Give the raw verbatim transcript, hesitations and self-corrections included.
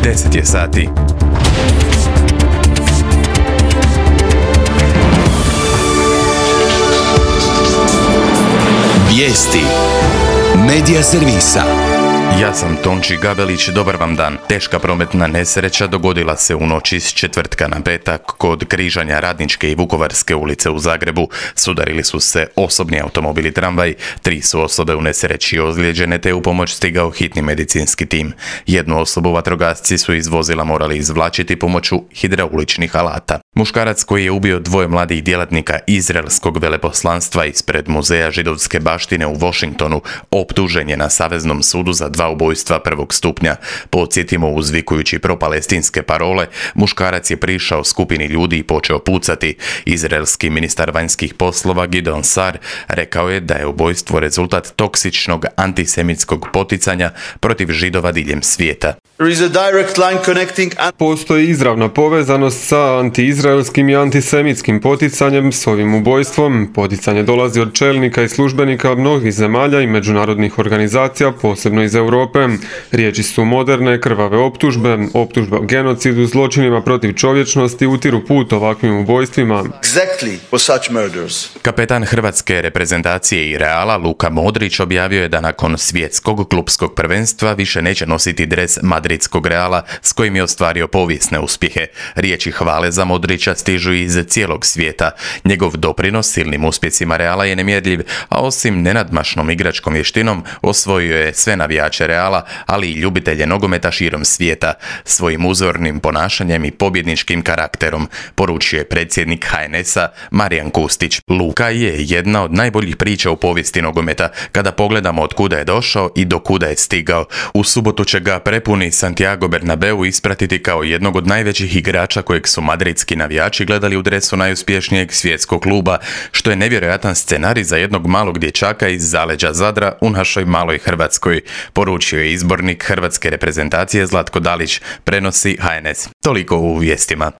deset je sati. Vijesti Medija servisa. Ja sam Tonči Gabelić, dobar vam dan. Teška prometna nesreća dogodila se u noći s četvrtka na petak kod križanja Radničke i Vukovarske ulice u Zagrebu. Sudarili su se osobni automobil i tramvaj, tri su osobe u nesreći ozlijeđene te u pomoć stigao hitni medicinski tim. Jednu osobu vatrogasci su iz vozila morali izvlačiti pomoću hidrauličnih alata. Muškarac koji je ubio dvoje mladih djelatnika izraelskog veleposlanstva ispred Muzeja židovske baštine u Washingtonu optužen je na Saveznom sudu za dva ubojstva prvog stupnja. Podsjetimo, uzvikujući propalestinske parole, muškarac je prišao skupini ljudi i počeo pucati. Izraelski ministar vanjskih poslova Gideon Sar rekao je da je ubojstvo rezultat toksičnog antisemitskog poticanja protiv Židova diljem svijeta. Postoji izravna povezanost sa antiizraelskim i antisemitskim poticanjem s ovim ubojstvom. Poticanje dolazi od čelnika i službenika mnogih zemalja i međunarodnih organizacija, posebno iz Europe. Riječi su moderne, krvave optužbe, optužbe o genocidu, zločinima protiv čovječnosti utiru put ovakvim ubojstvima. Kapetan hrvatske reprezentacije i Reala Luka Modrić objavio je da nakon svjetskog klupskog prvenstva više neće nositi dres madridskog Reala s kojim je ostvario povijesne uspjehe. Riječi hvale za Modrića stižu iz cijelog svijeta. Njegov doprinos silnim uspjesima Reala je nemjerljiv, a osim nenadmašnom igračkom vještinom osvojio je sve navijače Reala, ali i ljubitelje nogometa širom svijeta. Svojim uzornim ponašanjem i pobjedničkim karakterom, poručio je predsjednik H N S-a Marijan Kustić. Luka je jedna od najboljih priča u povijesti nogometa kada pogledamo od kuda je došao i do kuda je stigao. U subotu će ga prepuni Santiago Bernabeu ispratiti kao jednog od najvećih igrača kojeg su madridski navijači gledali u dresu najuspješnijeg svjetskog kluba, što je nevjerojatan scenarij za jednog malog dječaka iz zaleđa Zadra u našoj maloj Hrvatskoj, poručio je izbornik hrvatske reprezentacije Zlatko Dalić, prenosi H N S. Toliko u vijestima.